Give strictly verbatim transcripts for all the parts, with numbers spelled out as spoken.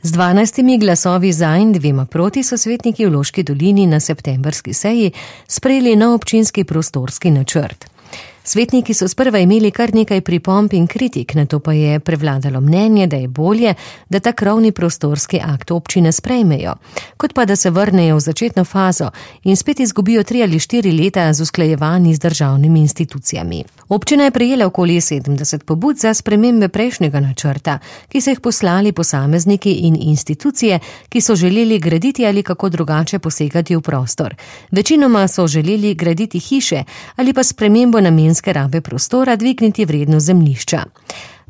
Z dvanajstimi glasovi za in dvema proti so svetniki v Loški dolini na septembrski seji sprejeli nov občinski prostorski načrt. Svetniki so sprva imeli kar nekaj pripomb in kritik, nato pa je prevladalo mnenje, da je bolje, da ta krovni prostorski akt občine sprejmejo, kot pa da se vrnejo v začetno fazo in spet izgubijo tri ali štiri leta z usklajevanji z državnimi institucijami. Občina je prejela okoli sedemdeset pobud za spremembe prejšnjega načrta, ki so jih poslali posamezniki in institucije, ki so želeli graditi ali kako drugače posegati v prostor. Večinoma so želeli graditi hiše ali pa spremembo namenske rabe prostora dvigniti vrednost zemljišča.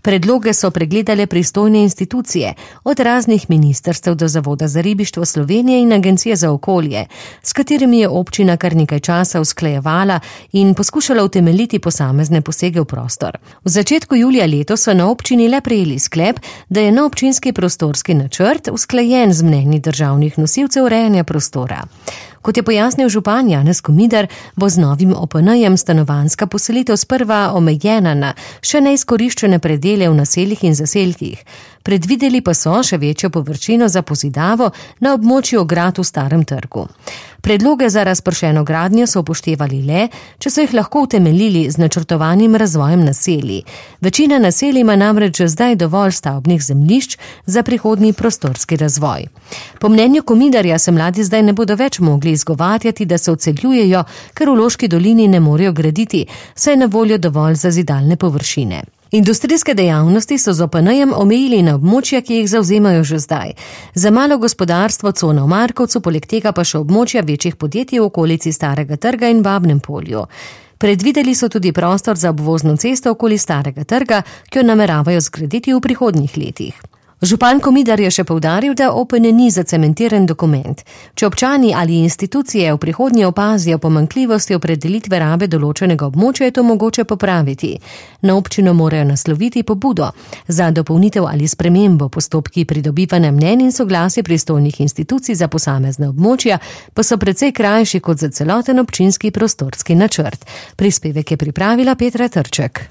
Predloge so pregledale pristojne institucije, od raznih ministrstev do Zavoda za ribištvo Slovenije in Agencije za okolje, s katerimi je občina kar nekaj časa usklajevala in poskušala utemeljiti posamezne posege v prostor. V začetku julija letos so na občini le prejeli sklep, da je na občinski prostorski načrt usklajen z mnenji državnih nosilcev urejanja prostora. Kot je pojasnil župan Janez Komidar, bo z novim O P N-jem stanovanjska poselitev sprva omejena na še neizkoriščene predele v naseljih in zaselkih. Predvideli pa so še večjo površino za pozidavo na območju ograd v Starem trgu. Predloge za razpršeno gradnjo so upoštevali le, če so jih lahko utemeljili z načrtovanim razvojem naselij. Večina naselij ima namreč že zdaj dovolj stavbnih zemljišč za prihodnji prostorski razvoj. Po mnenju Komidarja se mladi zdaj ne bodo več mogli izgovarjati, da se odseljujejo, ker v Loški dolini ne morejo graditi, saj je na voljo dovolj zazidalne površine. Industrijske dejavnosti so z O P N-jem omejili na območja, ki jih zavzemajo že zdaj. Za malo gospodarstvo cona v Markovcu, poleg tega pa še območja večjih podjetij v okolici Starega trga in Babnem polju. Predvideli so tudi prostor za obvozno cesto okoli Starega trga, ki jo nameravajo zgraditi v prihodnjih letih. Župan Komidar je še poudaril, da O P N ni zacementiran dokument. Če občani ali institucije v prihodnje opazijo pomanjkljivosti opredelitve rabe določenega območja, je to mogoče popraviti. Na občino morajo nasloviti pobudo. Za dopolnitev ali spremembo postopki pridobivanja mnenj in soglasje pristojnih institucij za posamezne območja pa so precej krajši kot za celoten občinski prostorski načrt. Prispevek je pripravila Petra Trček.